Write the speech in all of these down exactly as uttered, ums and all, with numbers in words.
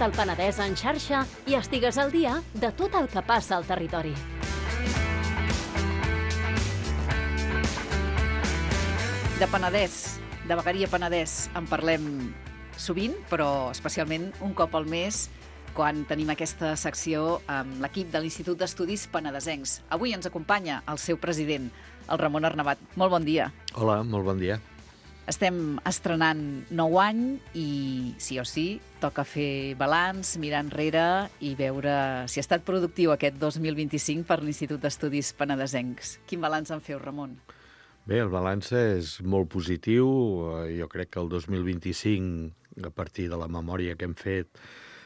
Porta el Penedès en xarxa i estigues al dia de tot el que passa al territori. De Penedès, de Vegueria Penedès, en parlem sovint, però especialment un cop al mes, quan tenim aquesta secció amb l'equip de l'Institut d'Estudis Penedesencs. Avui ens acompanya el seu president, el Ramon Arnabat. Molt bon dia. Hola, molt bon dia. Estem estrenant nou any i, sí o sí, toca fer balanç, mirar enrere i veure si ha estat productiu aquest dos mil vint-i-cinc per l'Institut d'Estudis Penedesencs. Quin balanç en feu, Ramon? Bé, el balanç és molt positiu. Jo crec que el dos mil vint-i-cinc, a partir de la memòria que hem fet,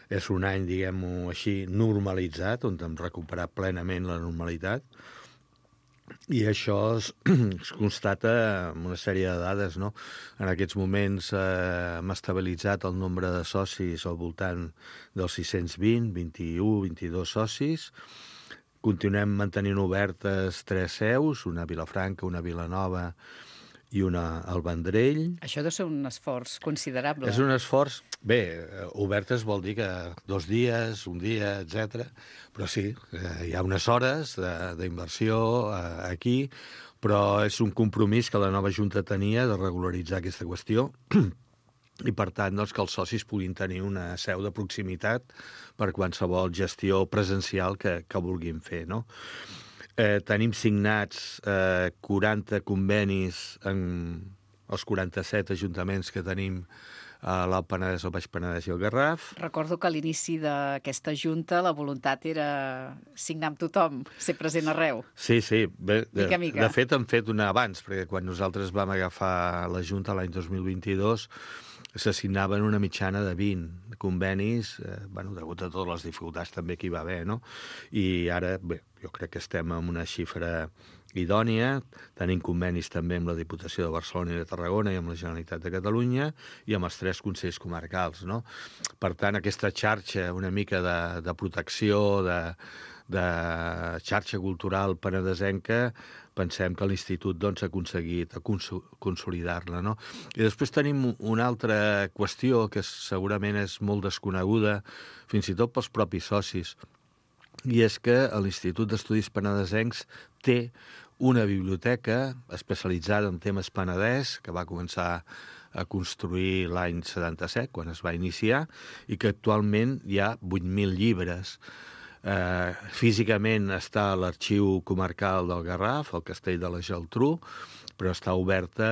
és un any, diguem-ho així, normalitzat, on hem recuperat plenament la normalitat. I això es, es constata amb una sèrie de dades, no? En aquests moments eh, hem estabilitzat el nombre de socis al voltant dels sis-cents vint, vint-i-u, vint-i-dos socis. Continuem mantenint obertes tres seus, una a Vilafranca, una a Vilanova i una al Vendrell. Això deu ser un esforç considerable. És un esforç... Bé, obertes vol dir que dos dies, un dia, etcètera. Però sí, hi ha unes hores d'inversió aquí, però és un compromís que la nova Junta tenia de regularitzar aquesta qüestió i, per tant, doncs, que els socis puguin tenir una seu de proximitat per qualsevol gestió presencial que, que vulguin fer, no? Eh, tenim signats eh, quaranta convenis en els quaranta-set ajuntaments que tenim a l'Alt Penedès, el Baix Penedès i el Garraf. Recordo que a l'inici d'aquesta junta la voluntat era signar amb tothom, ser present arreu. Sí, sí. Bé, de, mica, mica. de fet, hem fet una abans, perquè quan nosaltres vam agafar la junta l'any dos mil vint-i-dos s'assignaven una mitjana de vint convenis, eh, bueno, degut a totes les dificultats també que hi va haver, no? I ara, bé, jo crec que estem en una xifra idònia, tenim convenis també amb la Diputació de Barcelona i de Tarragona i amb la Generalitat de Catalunya i amb els tres consells comarcals, no? Per tant, aquesta xarxa una mica de, de protecció, de, de xarxa cultural penedesenca, pensem que l'Institut doncs, ha aconseguit consolidar-la, no? I després tenim una altra qüestió que segurament és molt desconeguda, fins i tot pels propis socis, i és que l'Institut d'Estudis Penedesencs té una biblioteca especialitzada en temes penedès, que va començar a construir l'any setanta-set, quan es va iniciar, i que actualment hi ha vuit mil llibres. Eh, físicament està a l'Arxiu Comarcal del Garraf, al Castell de la Geltrú, però està oberta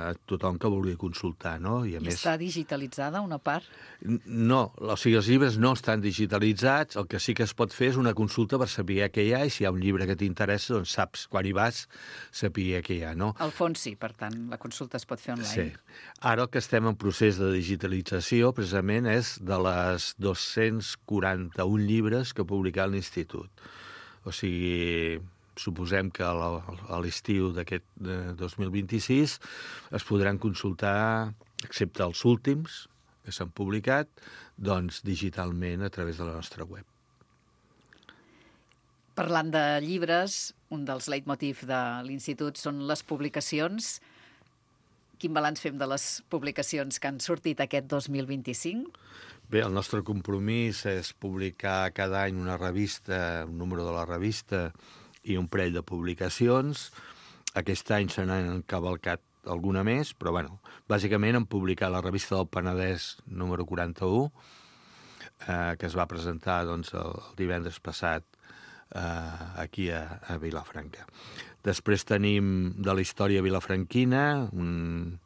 a tothom que vulgui consultar, no? I, a I més, està digitalitzada una part? No, o sigui, els llibres no estan digitalitzats, el que sí que es pot fer és una consulta per saber què hi ha, i si hi ha un llibre que t'interessa, doncs saps, quan hi vas, saber què hi ha, no? Al fons sí, per tant, la consulta es pot fer online. Sí. Ara el que estem en procés de digitalització, precisament, és de les dos-cents quaranta-un llibres que ha publicat l'Institut. O sigui, suposem que a l'estiu d'aquest dos mil vint-i-sis es podran consultar, excepte els últims que s'han publicat, doncs digitalment a través de la nostra web. Parlant de llibres, un dels leitmotiv de l'Institut són les publicacions. Quin balanç fem de les publicacions que han sortit aquest dos mil vint-i-cinc? Bé, el nostre compromís és publicar cada any una revista, un número de la revista i un parell de publicacions. Aquest any se n'han encavalcat alguna més, però, bueno, bàsicament hem publicat la revista del Penedès número quaranta-u, eh, que es va presentar doncs, el, el divendres passat eh, aquí a, a Vilafranca. Després tenim de la història vilafranquina, un,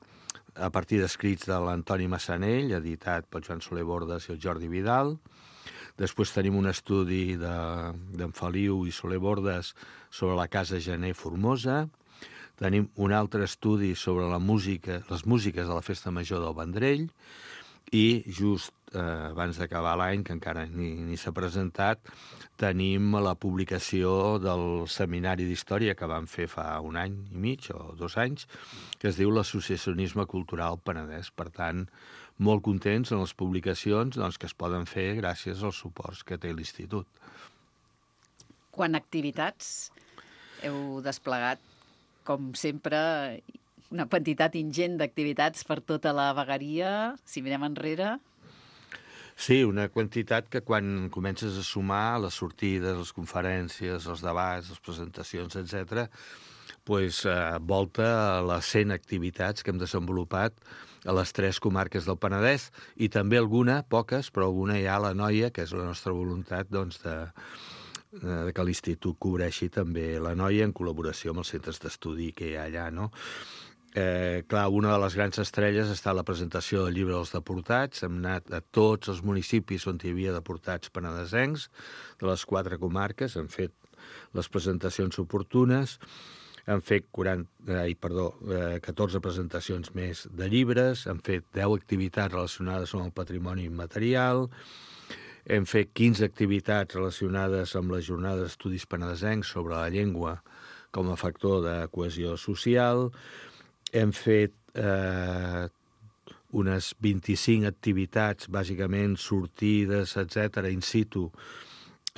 a partir d'escrits de l'Antoni Massanell, editat pel Joan Soler Bordes i el Jordi Vidal. Després tenim un estudi d'en Feliu i Soler Bordes sobre la Casa Gener Formosa. Tenim un altre estudi sobre la música, les músiques de la Festa Major del Vendrell. I just eh, abans d'acabar l'any, que encara ni, ni s'ha presentat, tenim la publicació del Seminari d'Història que vam fer fa un any i mig o dos anys, que es diu l'Associacionisme Cultural Penedès. Per tant, molt contents en les publicacions doncs, que es poden fer gràcies als suports que té l'Institut. Quant a activitats, heu desplegat, com sempre, una quantitat ingent d'activitats per tota la vegueria, si mirem enrere. Sí, una quantitat que quan comences a sumar les sortides, les conferències, els debats, les presentacions, etcètera, pues, eh, volta a les cent activitats que hem desenvolupat a les tres comarques del Penedès i també alguna, poques, però alguna hi ha a l'Anoia, que és la nostra voluntat doncs, de, de que l'Institut cobreixi també l'Anoia en col·laboració amb els centres d'estudi que hi ha allà, no? Eh, clar, una de les grans estrelles ha estat la presentació del llibre dels deportats. Hem anat a tots els municipis on hi havia deportats penedesencs, de les quatre comarques, hem fet les presentacions oportunes, hem fet quaranta, ai, perdó, eh, catorze presentacions més de llibres, hem fet deu activitats relacionades amb el patrimoni immaterial, hem fet quinze activitats relacionades amb la jornada d'estudis penedesencs sobre la llengua com a factor de cohesió social. Hem fet eh, unes vint-i-cinc activitats, bàsicament sortides, etcètera, in situ,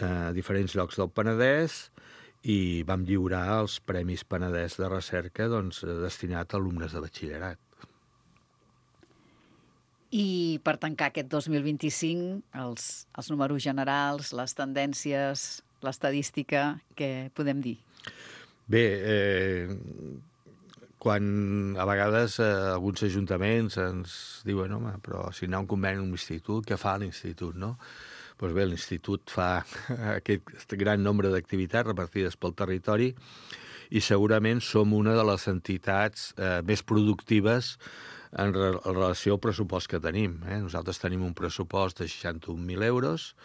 a diferents llocs del Penedès, i vam lliurar els Premis Penedès de Recerca doncs, destinat a alumnes de batxillerat. I per tancar aquest dos mil vint-i-cinc, els, els números generals, les tendències, l'estadística, què podem dir? Bé, eh... quan a vegades eh, alguns ajuntaments ens diuen home, però si anar a un conveni amb l'institut, què fa l'institut, no? Doncs bé, l'institut fa aquest gran nombre d'activitats repartides pel territori i segurament som una de les entitats eh, més productives en, re en relació al pressupost que tenim. Eh? Nosaltres tenim un pressupost de seixanta-un mil euros,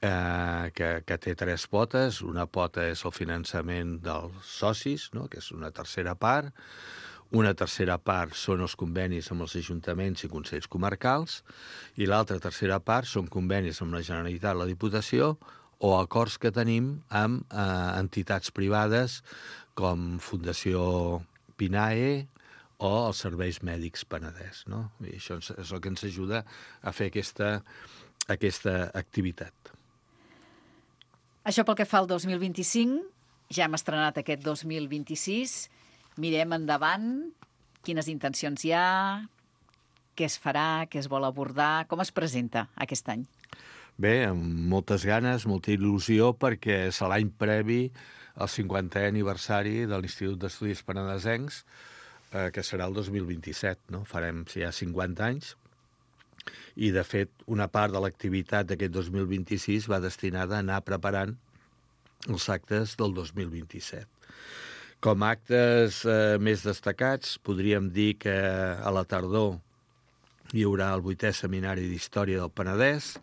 Eh, que, que té tres potes. Una pota és el finançament dels socis, no? Que és una tercera part. Una tercera part són els convenis amb els ajuntaments i consells comarcals i l'altra tercera part són convenis amb la Generalitat, la Diputació o acords que tenim amb eh, entitats privades com Fundació PINAE o els Serveis Mèdics Penedès, no? I això és el que ens ajuda a fer aquesta, aquesta activitat. Això pel que fa al dos mil vint-i-cinc, ja hem estrenat aquest dos mil vint-i-sis, mirem endavant, quines intencions hi ha, què es farà, què es vol abordar, com es presenta aquest any? Bé, amb moltes ganes, molta il·lusió, perquè és l'any previ al cinquantè aniversari de l'Institut d'Estudis Penedesencs, eh, que serà el dos mil vint-i-set, no? Farem ja cinquanta anys. I, de fet, una part de l'activitat d'aquest dos mil vint-i-sis va destinada a anar preparant els actes del dos mil vint-i-set. Com a actes eh, més destacats, podríem dir que a la tardor hi haurà el vuitè Seminari d'Història del Penedès,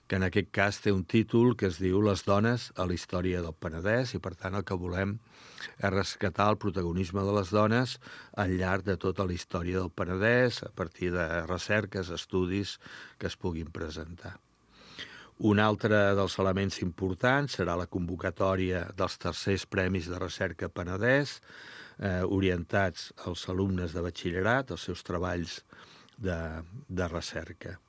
que en aquest cas té un títol que es diu Les dones a la història del Penedès i, per tant, el que volem és rescatar el protagonisme de les dones al llarg de tota la història del Penedès, a partir de recerques, estudis que es puguin presentar. Un altre dels elements importants serà la convocatòria dels tercers Premis de Recerca Penedès, eh, orientats als alumnes de batxillerat, als seus treballs de, de recerca.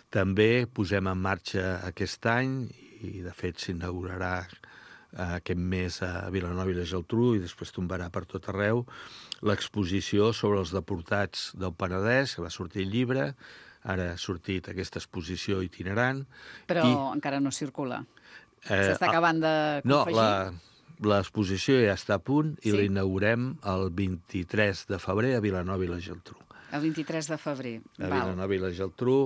També posem en marxa aquest any, i de fet s'inaugurarà aquest mes a Vilanova i la Geltrú i després tombarà per tot arreu, l'exposició sobre els deportats del Penedès, que va sortir el llibre, ara ha sortit aquesta exposició itinerant. Però i, encara no circula. Eh, S'està acabant de confegir? No, l'exposició ja està a punt i sí? l'inaugurem el vint-i-tres de febrer a Vilanova i la Geltrú. El vint-i-tres de febrer. A Vilanova i la Geltrú.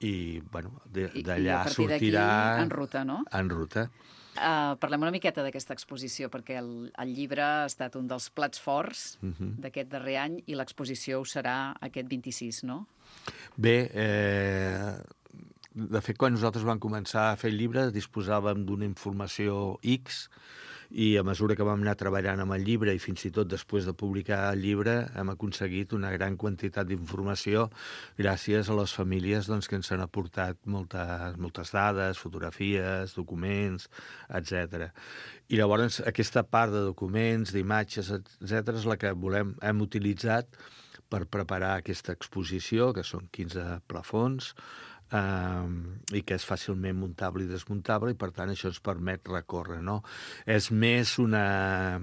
I, bueno, d'allà sortirà... en ruta, no? En ruta. Uh, parlem una miqueta d'aquesta exposició, perquè el, el llibre ha estat un dels plats forts uh-huh. d'aquest darrer any i l'exposició ho serà aquest vint-i-sis, no? Bé, eh, de fet, quan nosaltres vam començar a fer el llibre disposàvem d'una informació X i a mesura que vam anar treballant amb el llibre i fins i tot després de publicar el llibre hem aconseguit una gran quantitat d'informació gràcies a les famílies doncs, que ens han aportat moltes, moltes dades, fotografies, documents, etcètera. I llavors aquesta part de documents, d'imatges, etcètera és la que volem, hem utilitzat per preparar aquesta exposició, que són quinze plafons, Um, i que és fàcilment muntable i desmuntable i per tant això ens permet recórrer, no? És més una,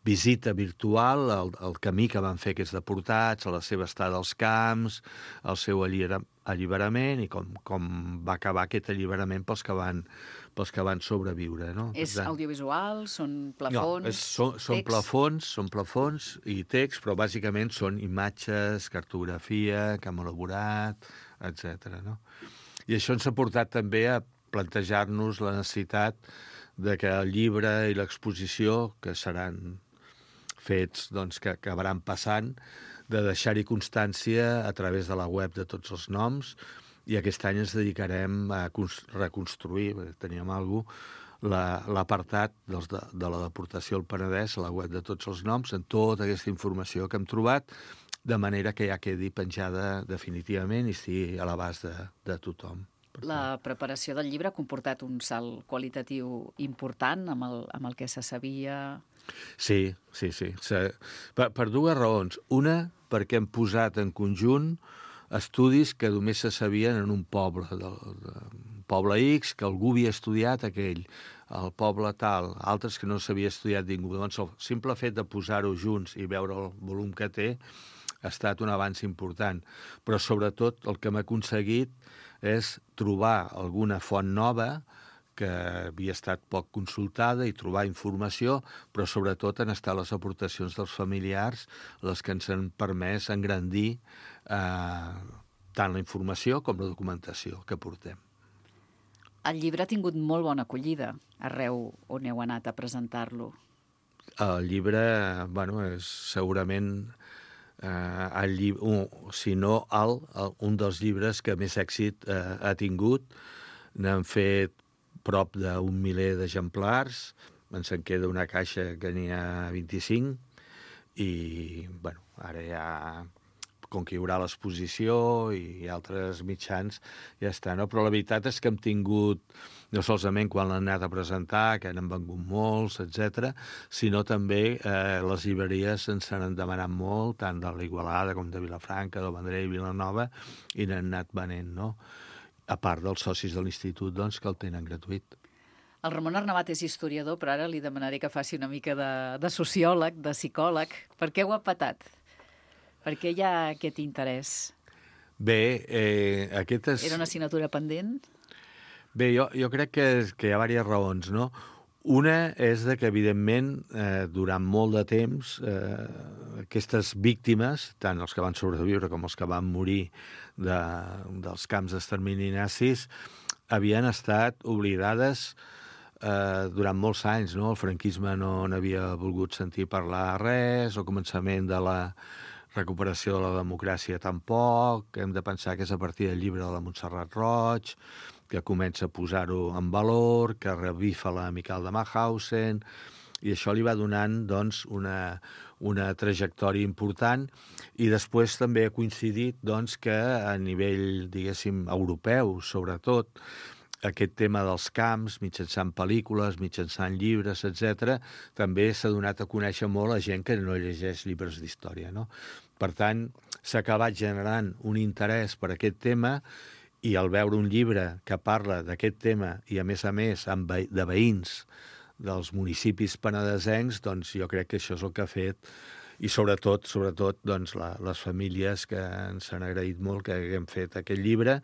visita virtual, el, el camí que van fer aquests deportats, la seva estada als camps, el seu allibera, alliberament i com, com va acabar aquest alliberament pels que van, pels que van sobreviure. No? És tant, audiovisual? Són plafons? No, és, són, són plafons, són plafons i text, però bàsicament són imatges, cartografia, que hem elaborat, etcètera. No? I això ens ha portat també a plantejar-nos la necessitat de que el llibre i l'exposició, que seran fets doncs, que acabaran passant, de deixar-hi constància a través de la web de tots els noms, i aquest any ens dedicarem a reconstruir, teníem alguna cosa, l'apartat de, de la deportació al Penedès, a la web de tots els noms, amb tota aquesta informació que hem trobat, de manera que ja quedi penjada definitivament i estigui a l'abast de, de tothom. La preparació del llibre ha comportat un salt qualitatiu important amb el, amb el que se sabia... Sí, sí, sí. Per, per dues raons. Una, perquè hem posat en conjunt estudis que només se sabien en un poble, del, del poble X, que algú havia estudiat aquell, el poble tal, altres que no s'havia estudiat ningú. Doncs el simple fet de posar-ho junts i veure el volum que té ha estat un avanç important. Però sobretot el que hem aconseguit és trobar alguna font nova que havia estat poc consultada i trobar informació, però sobretot han estat les aportacions dels familiars les que ens han permès engrandir eh, tant la informació com la documentació que portem. El llibre ha tingut molt bona acollida arreu on heu anat a presentar-lo. El llibre, bueno, és segurament eh, el llibre, un, si no el, el, un dels llibres que més èxit eh, ha tingut. N'han fet prop d'un miler d'exemplars, ens en queda una caixa que n'hi ha vint-i-cinc, i bueno, ara ja, com que hi haurà l'exposició i altres mitjans, ja està, no? Però la veritat és que hem tingut, no solament quan l'han anat a presentar, que n'han vengut molts, etcètera, sinó també eh, les llibreries ens n'han demanat molt, tant de l'Igualada com de Vilafranca, del Vendrell i Vilanova, i n'han anat venent, no? A part dels socis de l'institut, doncs, que el tenen gratuït. El Ramon Arnabat és historiador, però ara li demanaré que faci una mica de, de sociòleg, de psicòleg. Per què ho ha patat? Per què hi ha aquest interès? Bé, eh, aquest és... Era una assignatura pendent? Bé, jo, jo crec que, que hi ha diverses raons, no? Una és de que, evidentment, eh, durant molt de temps, eh, aquestes víctimes, tant els que van sobreviure com els que van morir de, dels camps d'extermini nazis, havien estat oblidades eh, durant molts anys, no? El franquisme no n'havia volgut sentir parlar res, el començament de la recuperació de la democràcia tampoc, hem de pensar que és a partir del llibre de la Montserrat Roig, que comença a posar-ho en valor, que revifa la Miquel de Mauthausen, i això li va donant doncs, una, una trajectòria important, i després també ha coincidit doncs, que a nivell, diguéssim, europeu, sobretot, aquest tema dels camps, mitjançant pel·lícules, mitjançant llibres, etcètera, també s'ha donat a conèixer molt a gent que no llegeix llibres d'història, no? Per tant, s'ha acabat generant un interès per aquest tema, i al veure un llibre que parla d'aquest tema i, a més a més, amb ve de veïns dels municipis penedesencs, doncs jo crec que això és el que ha fet, i sobretot, sobretot doncs, la, les famílies que ens han agraït molt que haguem fet aquest llibre,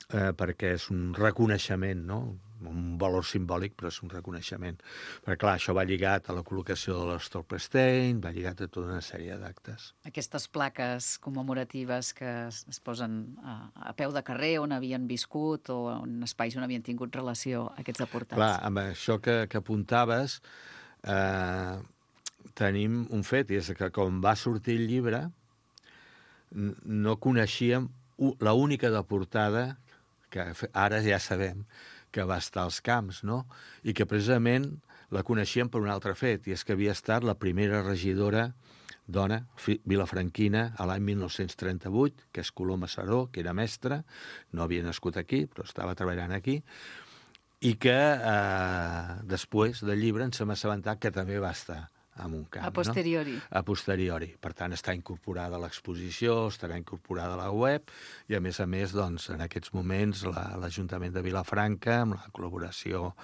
eh, perquè és un reconeixement, no? Un valor simbòlic, però és un reconeixement. Perquè, clar, això va lligat a la col·locació de l'Stolperstein, va lligat a tota una sèrie d'actes. Aquestes plaques commemoratives que es posen a, a peu de carrer on havien viscut o en espais on havien tingut relació aquests deportats. Clar, amb això que, que apuntaves, eh, tenim un fet, i és que quan va sortir el llibre no coneixíem l'única deportada, que ara ja sabem, que va estar als camps, no? I que precisament la coneixíem per un altre fet, i és que havia estat la primera regidora dona vilafranquina a l'any mil nou-cents trenta-vuit, que és Coloma Saró, que era mestra, no havia nascut aquí, però estava treballant aquí, i que eh, després del llibre ens hem assabentat que també va estar en un camp. A posteriori. No? A posteriori. Per tant, està incorporada a l'exposició, estarà incorporada a la web, i a més a més, doncs, en aquests moments, l'Ajuntament de Vilafranca, amb la col·laboració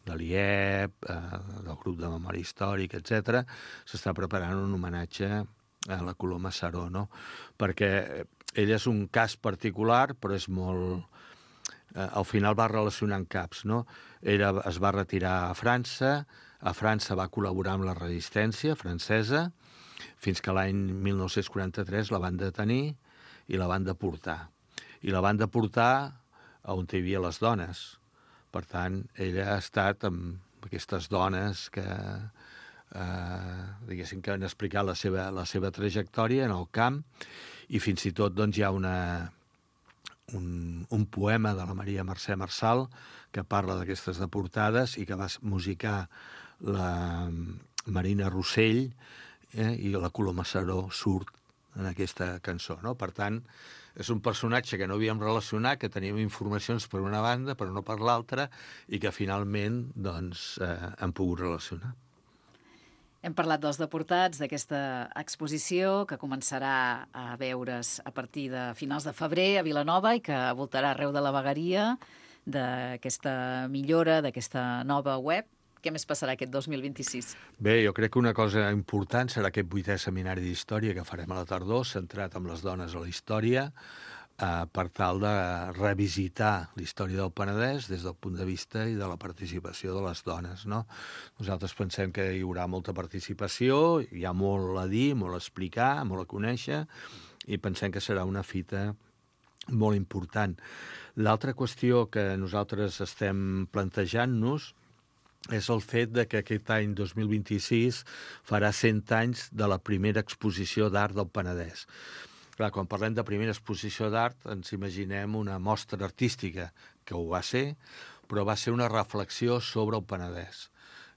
de l'I E P, eh, del grup de memòria històrica, etcètera, s'està preparant un homenatge a la Coloma Saró, no? Perquè ell és un cas particular, però és molt... Eh, al final va relacionant caps, no? Ell es va retirar a França, a França va col·laborar amb la resistència francesa, fins que l'any mil nou-cents quaranta-tres la van detenir i la van deportar. I la van deportar on hi havia les dones. Per tant, ella ha estat amb aquestes dones que, eh, diguéssim, que han explicat la seva, la seva trajectòria en el camp, i fins i tot doncs, hi ha una, un, un poema de la Maria Mercè Marçal que parla d'aquestes deportades i que va musicar la Marina Rossell, eh, i la Coloma Saró surt en aquesta cançó, no? Per tant, és un personatge que no havíem relacionat, que teníem informacions per una banda, però no per l'altra, i que finalment doncs, eh, hem pogut relacionar. Hem parlat dels deportats, d'aquesta exposició que començarà a veure's a partir de finals de febrer a Vilanova i que voltarà arreu de la vegueria, d'aquesta millora, d'aquesta nova web. Què més passarà aquest dos mil vint-i-sis? Bé, jo crec que una cosa important serà aquest vuitè seminari d'història que farem a la tardor, centrat en les dones a la història, eh, per tal de revisitar la història del Penedès des del punt de vista i de la participació de les dones, no? Nosaltres pensem que hi haurà molta participació, hi ha molt a dir, molt a explicar, molt a conèixer, i pensem que serà una fita molt important. L'altra qüestió que nosaltres estem plantejant-nos és el fet de que aquest any dos mil vint-i-sis farà cent anys de la primera exposició d'art del Penedès. Clar, quan parlem de primera exposició d'art ens imaginem una mostra artística, que ho va ser, però va ser una reflexió sobre el Penedès,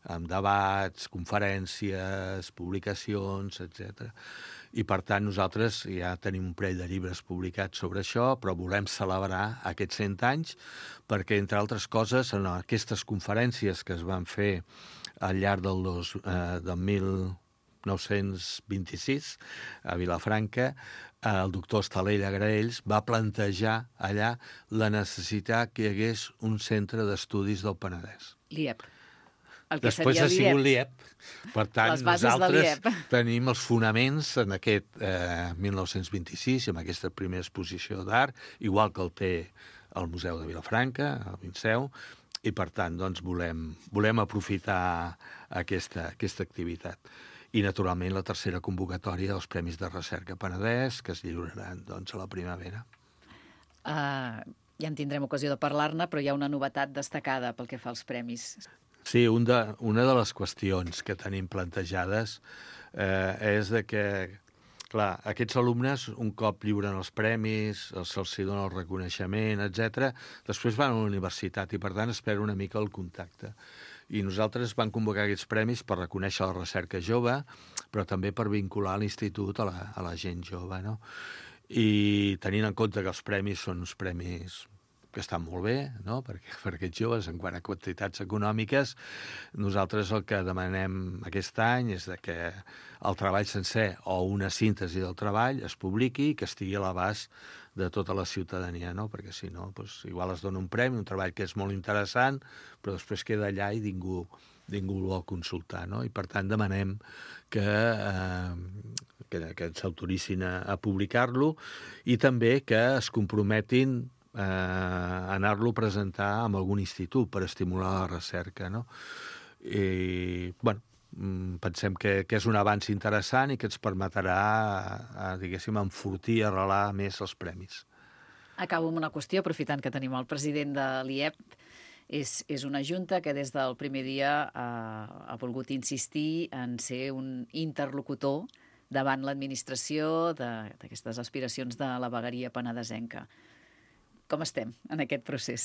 amb debats, conferències, publicacions, etcètera. I, per tant, nosaltres ja tenim un parell de llibres publicats sobre això, però volem celebrar aquests cent anys perquè, entre altres coses, en aquestes conferències que es van fer al llarg del, dos, eh, del mil nou-cents vint-i-sis a Vilafranca, eh, el doctor Estalella Graells va plantejar allà la necessitat que hi hagués un centre d'estudis del Penedès. L'I E P. Després ha sigut l'I E P. Per tant, nosaltres tenim els fonaments en aquest eh, mil nou-cents vint-i-sis, amb aquesta primera exposició d'art, igual que el té el Museu de Vilafranca, el Vinceu, i per tant doncs, volem, volem aprofitar aquesta, aquesta activitat. I, naturalment, la tercera convocatòria dels Premis de Recerca Penedès, que es lliuraran doncs, a la primavera. Uh, ja en tindrem ocasió de parlar-ne, però hi ha una novetat destacada pel que fa als premis. Sí, un de, una de les qüestions que tenim plantejades eh, és de que, clar, aquests alumnes, un cop lliuren els premis, se'ls dona el reconeixement, etcètera, després van a la universitat i, per tant, es perd una mica el contacte. I nosaltres vam convocar aquests premis per reconèixer la recerca jove, però també per vincular l'institut a la, a la gent jove, no? I tenint en compte que els premis són uns premis que estan molt bé, no? Perquè per aquests joves, en quant a quantitats econòmiques, nosaltres el que demanem aquest any és de que el treball sencer o una síntesi del treball es publiqui i que estigui a l'abast de tota la ciutadania, no? Perquè si no, doncs, igual es dona un premi, un treball que és molt interessant, però després queda allà i ningú, ningú el vol consultar, no? I per tant demanem que, eh, que, que s'autoritzin a, a publicar-lo i també que es comprometin Eh, anar-lo a presentar en algun institut per estimular la recerca, no? I, bueno, pensem que, que és un avanç interessant i que ens permetrà, a, diguéssim, enfortir i arrelar més els premis. Acabo amb una qüestió, aprofitant que tenim el president de l'I E P. És, és una junta que des del primer dia ha, ha volgut insistir en ser un interlocutor davant l'administració d'aquestes aspiracions de la vegueria penedesenca. Com estem en aquest procés?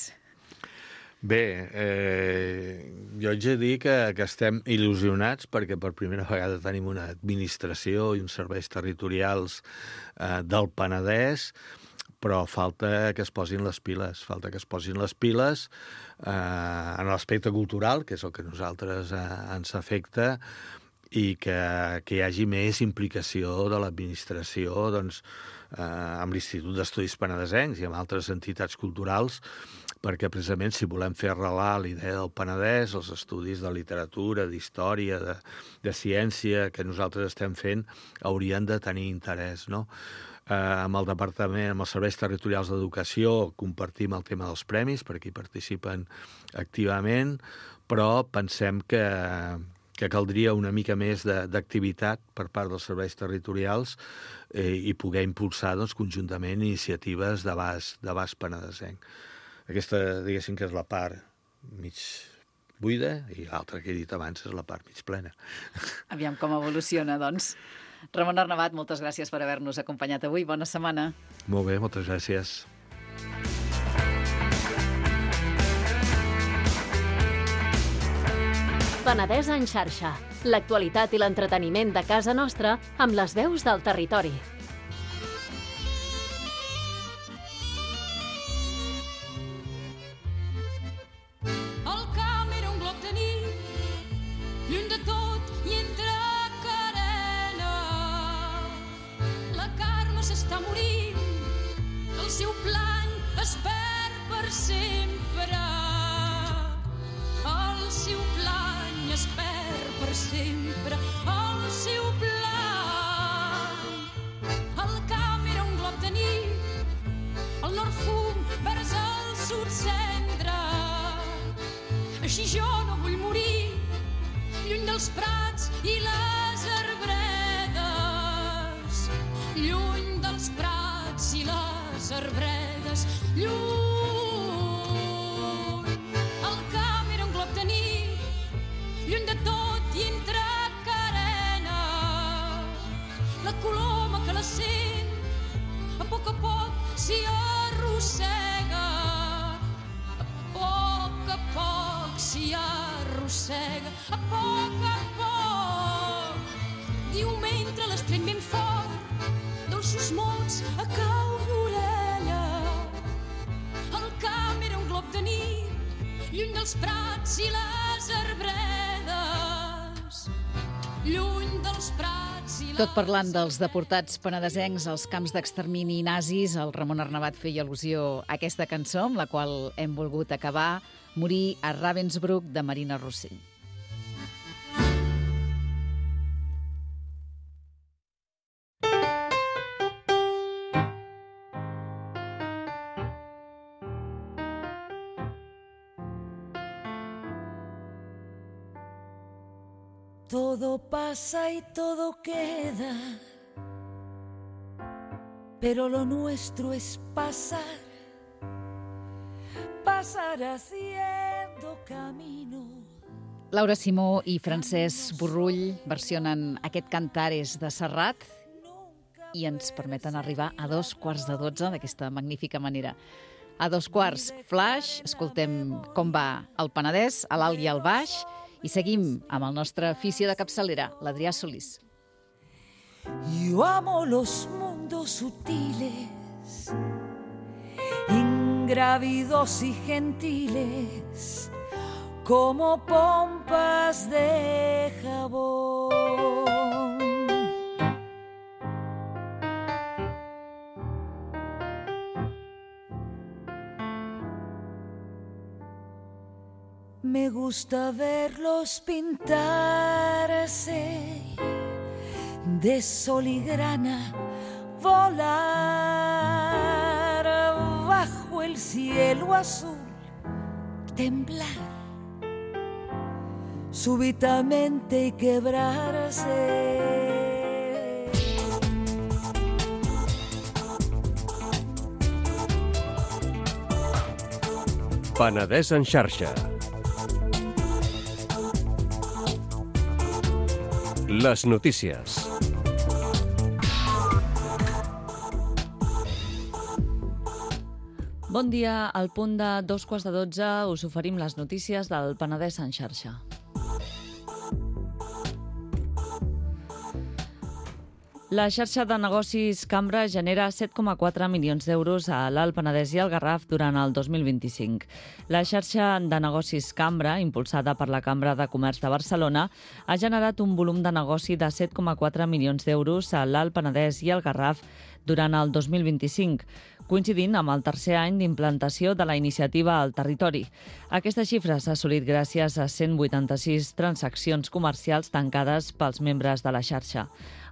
Bé, eh, jo haig de dir que, que estem il·lusionats perquè per primera vegada tenim una administració i uns serveis territorials eh, del Penedès, però falta que es posin les piles, falta que es posin les piles eh, en l'aspecte cultural, que és el que a nosaltres eh, ens afecta, i que, que hi hagi més implicació de l'administració doncs, eh, amb l'Institut d'Estudis Penedesencs i amb altres entitats culturals, perquè precisament si volem fer arrelar l'idea del Penedès, els estudis de literatura, d'història, de, de ciència que nosaltres estem fent, haurien de tenir interès, no? Eh, amb el Departament, amb els serveis territorials d'educació, compartim el tema dels premis, perquè hi participen activament, però pensem que, que caldria una mica més d'activitat per part dels serveis territorials eh, i poder impulsar doncs, conjuntament iniciatives d'abast penedesenc. Aquesta, diguéssim, que és la part mig buida i l'altra que he dit abans és la part mig plena. Aviam com evoluciona, doncs. Ramon Arnabat, moltes gràcies per haver-nos acompanyat avui. Bona setmana. Molt bé, moltes gràcies. Penedès en xarxa. L'actualitat i l'entreteniment de casa nostra amb les veus del territori. El camp era un glob de nit, lluny de tot i entre carena. La Carme s'està morint, el seu plany es perd per sempre. El seu plany es perd per sempre, el seu plany. El camp era un glob de nit, el nord fum vers el sud cendra. Així jo no vull morir, lluny dels prats i les arbredes. Lluny dels prats i les arbredes, lluny. El camp era un glob de nit, lluny de tot i entre carena. La coloma que la sent, a poc a poc s'hi arrossega. A poc a poc s'hi arrossega, a poc a poc. Diu mentre l'estreny ben fort, dolços mots a cau d'orella. El camp era un glob de nit, lluny dels prats i les arbredes. Lluny dels prats i les... Tot parlant dels deportats penedesencs als camps d'extermini nazis, el Ramon Arnabat feia al·lusió a aquesta cançó, amb la qual hem volgut acabar, Morir a Ravensbrück, de Marina Rossell. Todo pasa y todo queda, pero lo nuestro es pasar, pasar haciendo camino. Laura Simó i Francesc Borrull versionen aquest Cantares de Serrat i ens permeten arribar a dos quarts de dotze d'aquesta magnífica manera. A dos quarts, Flash, escoltem com va el Penedès, a l'alt i al baix, i seguim amb el nostre afició de capçalera, l'Adrià Solís. Yo amo los mundos sutiles, ingrávidos y gentiles, como pompas de jabón. Me gusta verlos pintarse de sol y grana, volar bajo el cielo azul, temblar súbitamente y quebrarse. Penedès en xarxa. Les notícies. Bon dia, al punt de dos quarts de dotze us oferim les notícies del Penedès en xarxa. La xarxa de negocis Cambra genera set coma quatre milions d'euros a l'Alt Penedès i el Garraf durant el dos mil vint-i-cinc. La xarxa de negocis Cambra, impulsada per la Cambra de Comerç de Barcelona, ha generat un volum de negoci de set coma quatre milions d'euros a l'Alt Penedès i el Garraf durant el dos mil vint-i-cinc, coincidint amb el tercer any d'implantació de la iniciativa al territori. Aquesta xifra s'ha assolit gràcies a cent vuitanta-sis transaccions comercials tancades pels membres de la xarxa.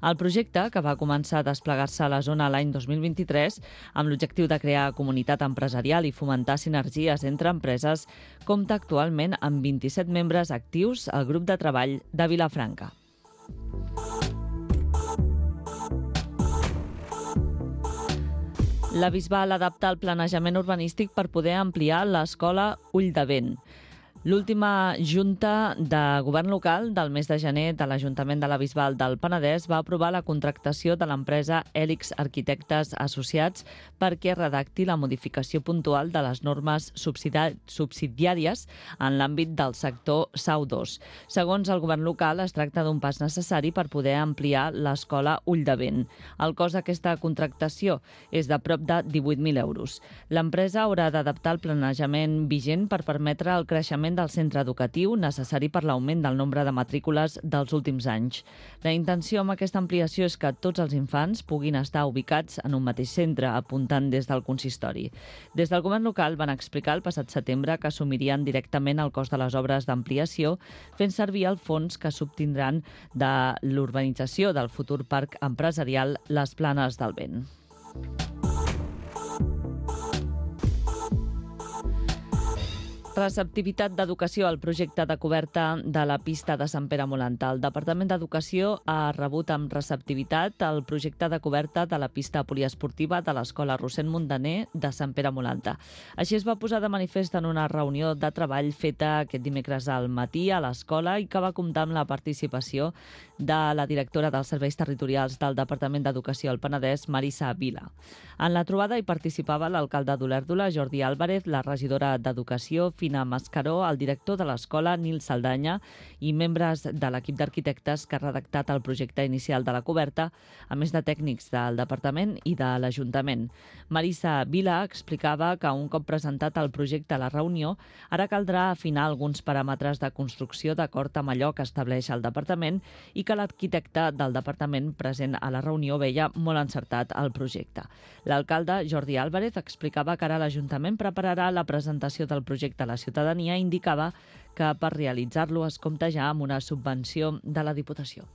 El projecte, que va començar a desplegar-se a la zona l'any dos mil vint-i-tres, amb l'objectiu de crear comunitat empresarial i fomentar sinergies entre empreses, compta actualment amb vint-i-set membres actius al grup de treball de Vilafranca. La Bisbal adapta el planejament urbanístic per poder ampliar l'escola Ull de Vent. L'última Junta de Govern Local del mes de gener de l'Ajuntament de la Bisbal del Penedès va aprovar la contractació de l'empresa Hèlix Arquitectes Associats perquè redacti la modificació puntual de les normes subsidiàries en l'àmbit del sector S A U dos. Segons el Govern Local, es tracta d'un pas necessari per poder ampliar l'escola Ull de Vent. El cost d'aquesta contractació és de prop de divuit mil euros. L'empresa haurà d'adaptar el planejament vigent per permetre el creixement del centre educatiu necessari per l'augment del nombre de matrícules dels últims anys. La intenció amb aquesta ampliació és que tots els infants puguin estar ubicats en un mateix centre, apuntant des del consistori. Des del govern local van explicar el passat setembre que assumirien directament el cost de les obres d'ampliació, fent servir el fons que s'obtindran de l'urbanització del futur parc empresarial Les Planes del Vent. Receptivitat d'educació al projecte de coberta de la pista de Sant Pere Molanta. El Departament d'Educació ha rebut amb receptivitat el projecte de coberta de la pista poliesportiva de l'Escola Rossend Muntaner de Sant Pere Molanta. Així es va posar de manifest en una reunió de treball feta aquest dimecres al matí a l'escola i que va comptar amb la participació de la directora dels Serveis Territorials del Departament d'Educació al Penedès, Marisa Vila. En la trobada hi participava l'alcalde d'Olèrdola, Jordi Álvarez, la regidora d'Educació, Fina Mascaró, el director de l'escola, Nil Saldanya, i membres de l'equip d'arquitectes que ha redactat el projecte inicial de la coberta, a més de tècnics del departament i de l'Ajuntament. Marisa Vila explicava que un cop presentat el projecte a la reunió, ara caldrà afinar alguns paràmetres de construcció d'acord amb allò que estableix el departament i que l'arquitecte del departament present a la reunió veia molt encertat el projecte. L'alcalde, Jordi Álvarez, explicava que ara l'Ajuntament prepararà la presentació del projecte a la ciutadania i indicava que per realitzar-lo es compta ja amb una subvenció de la Diputació.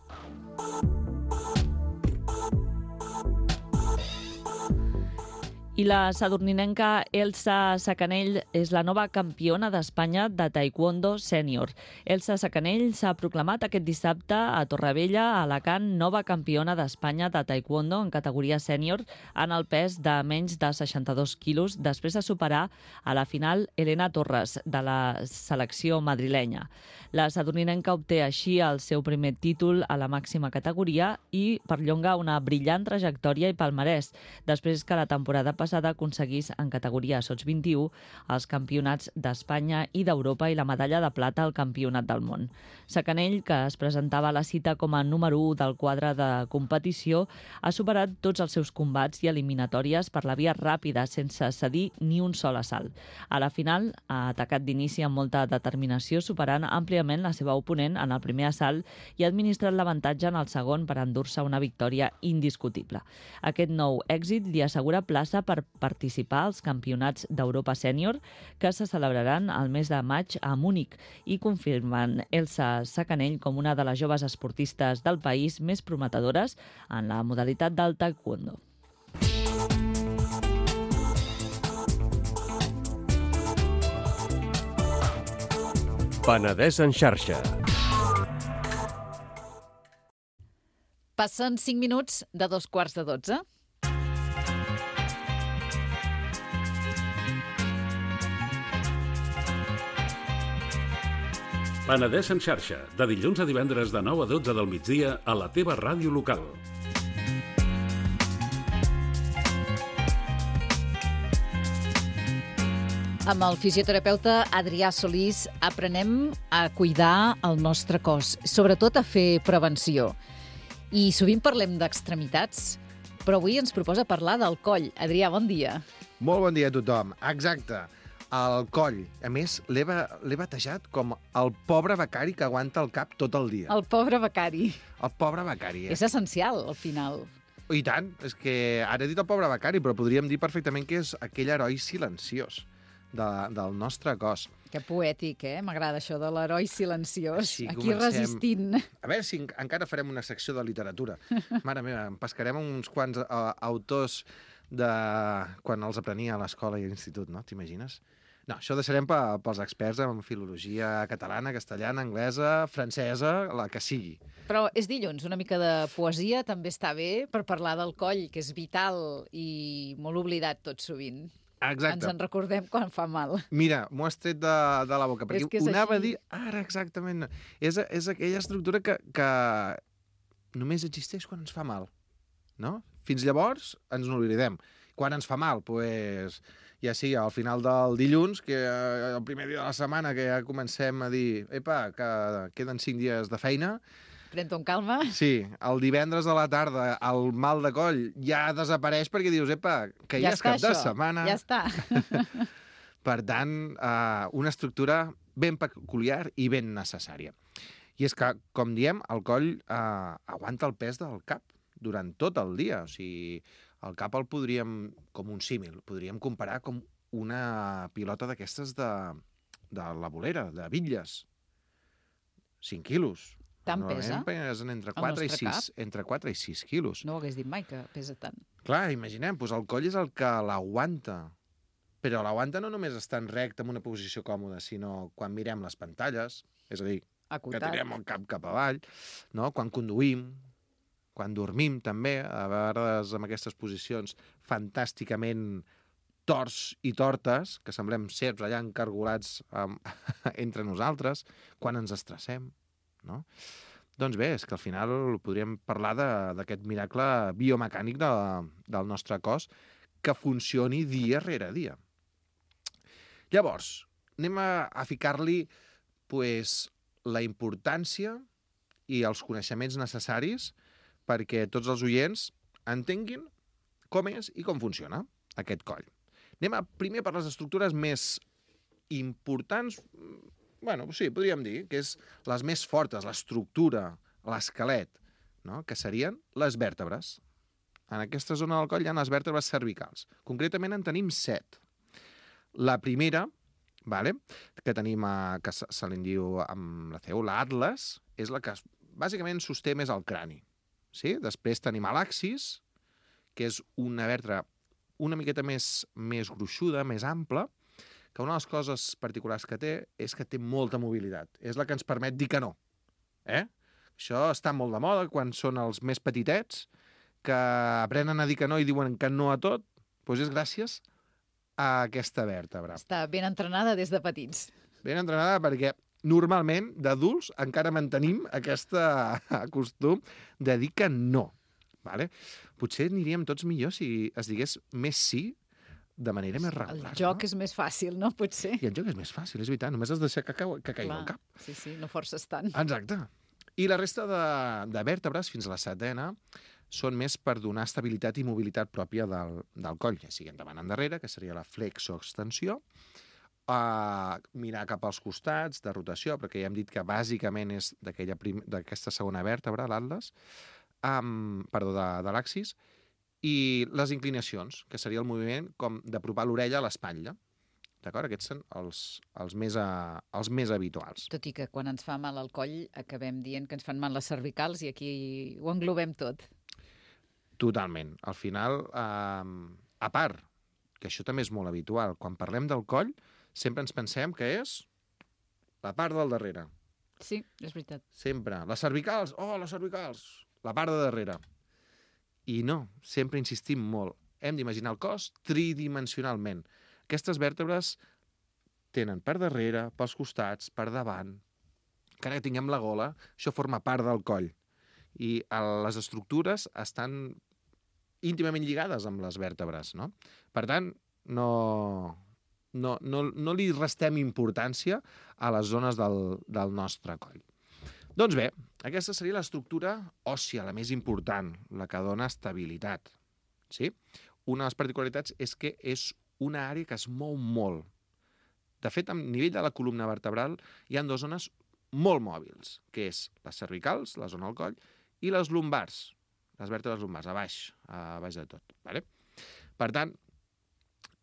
I la sadurninenca Elsa Sacanell és la nova campiona d'Espanya de taekwondo sènior. Elsa Sacanell s'ha proclamat aquest dissabte a Torrevella, a Alacant, nova campiona d'Espanya de taekwondo en categoria sènior en el pes de menys de seixanta-dos quilos, després de superar a la final Elena Torres, de la selecció madrilenya. La sadurninenca obté així el seu primer títol a la màxima categoria i perllonga una brillant trajectòria i palmarès, després que la temporada passada passada aconseguís en categoria sots vint-i-u els campionats d'Espanya i d'Europa i la medalla de plata al campionat del món. Sacanell, que es presentava a la cita com a número u del quadre de competició, ha superat tots els seus combats i eliminatòries per la via ràpida, sense cedir ni un sol assalt. A la final ha atacat d'inici amb molta determinació, superant àmpliament la seva oponent en el primer assalt i ha administrat l'avantatge en el segon per endur-se una victòria indiscutible. Aquest nou èxit li assegura plaça per participar als campionats d'Europa sènior que se celebraran el mes de maig a Múnich i confirmen Elsa Sacanell com una de les joves esportistes del país més prometedores en la modalitat del taekwondo. Penedès en xarxa. Passen cinc minuts de dos quarts de dotze. Penedès en xarxa, de dilluns a divendres de nou a dotze del migdia a la teva ràdio local. Amb el fisioterapeuta Adrià Solís aprenem a cuidar el nostre cos, sobretot a fer prevenció. I sovint parlem d'extremitats, però avui ens proposa parlar del coll. Adrià, bon dia. Molt bon dia a tothom. Exacte. El coll. A més, l'he ba- l'he batejat com el pobre becari que aguanta el cap tot el dia. El pobre becari. El pobre becari. Eh? És essencial, al final. I tant. És que ara he dit el pobre becari, però podríem dir perfectament que és aquell heroi silenciós de, del nostre cos. Que poètic, eh? M'agrada això de l'heroi silenciós. Així Aquí comencem. resistint. A veure si en- encara farem una secció de literatura. Mare meva, em pescarem uns quants uh, autors de quan els aprenia a l'escola i a l'institut, no? T'imagines? No, això ho deixarem pe, pels experts en filologia catalana, castellana, anglesa, francesa, la que sigui. Però és dilluns, una mica de poesia també està bé per parlar del coll, que és vital i molt oblidat tot sovint. Exacte. Ens en recordem quan fa mal. Mira, m'ho has tret de, de la boca, perquè És que és ho anava així. a dir ara exactament. És, és aquella estructura que, que només existeix quan ens fa mal, no? Fins llavors ens n'oblidem. Quan ens fa mal, doncs, ja sigui al final del dilluns, que eh, el primer dia de la setmana que ja comencem a dir epa, que queden cinc dies de feina. Pren-t'ho amb calma. Sí, el divendres a la tarda el mal de coll ja desapareix perquè dius, epa, que ja, ja és està, cap de això. setmana. Ja està. Per tant, eh, una estructura ben peculiar i ben necessària. I és que, com diem, el coll eh, aguanta el pes del cap durant tot el dia. O sigui, el cap el podríem, com un símil, podríem comparar com una pilota d'aquestes de, de la bolera, de bitlles. cinc quilos. Tant Normalment pesa? pesen entre el quatre, i nostre sis, entre quatre i sis quilos. No ho hagués dit mai, que pesa tant. Clar, imaginem, doncs el coll és el que l'aguanta. Però l'aguanta no només estant recte en una posició còmoda, sinó quan mirem les pantalles, és a dir, que Acotat. tirem el cap cap avall, no? Quan conduïm, quan dormim també, a vegades amb aquestes posicions fantàsticament torts i tortes, que semblem serps allà encargolats um, entre nosaltres, quan ens estressem, no? Doncs bé, és que al final podríem parlar d'aquest miracle biomecànic de, del nostre cos que funcioni dia rere dia. Llavors, anem a, a ficar-li pues, la importància i els coneixements necessaris perquè tots els oients entenguin com és i com funciona aquest coll. Anem a, primer per les estructures més importants, bueno, sí, podríem dir, que és les més fortes, l'estructura, l'esquelet, no? Que serien les vèrtebres. En aquesta zona del coll hi ha les vèrtebres cervicals. Concretament en tenim set. La primera, vale, que tenim, a, que se, se li diu amb la C E U, l'atles, és la que bàsicament sosté més el crani. Sí? Després tenim l'axis, que és una vèrtebra una miqueta més, més gruixuda, més ampla, que una de les coses particulars que té és que té molta mobilitat. És la que ens permet dir que no. Eh? Això està molt de moda quan són els més petitets, que aprenen a dir que no i diuen que no a tot, doncs és gràcies a aquesta vèrtebra. Està ben entrenada des de petits. Ben entrenada perquè normalment d'adults encara mantenim aquest costum de dir que no. Vale? Potser aniríem tots millor si es digués més sí de manera més regular. El joc no? és més fàcil, no? Potser. I el joc és més fàcil, és veritat. Només has de deixar que, cau, que caigui al cap. Sí, sí, no forces tant. Exacte. I la resta de, de vèrtebres, fins a la setena, són més per donar estabilitat i mobilitat pròpia del, del coll, ja sigui endavant endarrere, que seria la flexoextensió, uh, mirar cap als costats, de rotació, perquè ja hem dit que bàsicament és d'aquesta segona vèrtebra, l'atles, um, perdó, de, de l'axis, i les inclinacions, que seria el moviment com d'apropar l'orella a l'espatlla. D'acord? Aquests són els, els, més, a, els més habituals. Tot i que quan ens fa mal el coll acabem dient que ens fan mal les cervicals i aquí ho englobem tot. Totalment. Al final, eh, a part, que això també és molt habitual, quan parlem del coll, sempre ens pensem que és la part del darrere. Sí, és veritat. Sempre. Les cervicals, oh, les cervicals, la part de darrere. I no, sempre insistim molt. Hem d'imaginar el cos tridimensionalment. Aquestes vèrtebres tenen per darrere, pels costats, per davant. Encara que tinguem la gola, això forma part del coll. I les estructures estan íntimament lligades amb les vèrtebres, no? Per tant, no, no, no, no li restem importància a les zones del, del nostre coll. Doncs bé, aquesta seria l'estructura òssia, la més important, la que dona estabilitat. Sí? Una de les particularitats és que és una àrea que es mou molt. De fet, a nivell de la columna vertebral hi ha dues zones molt mòbils, que és les cervicals, la zona del coll, i les lumbars, les vèrtebres lumbars, a baix, a baix de tot. Vale? Per tant,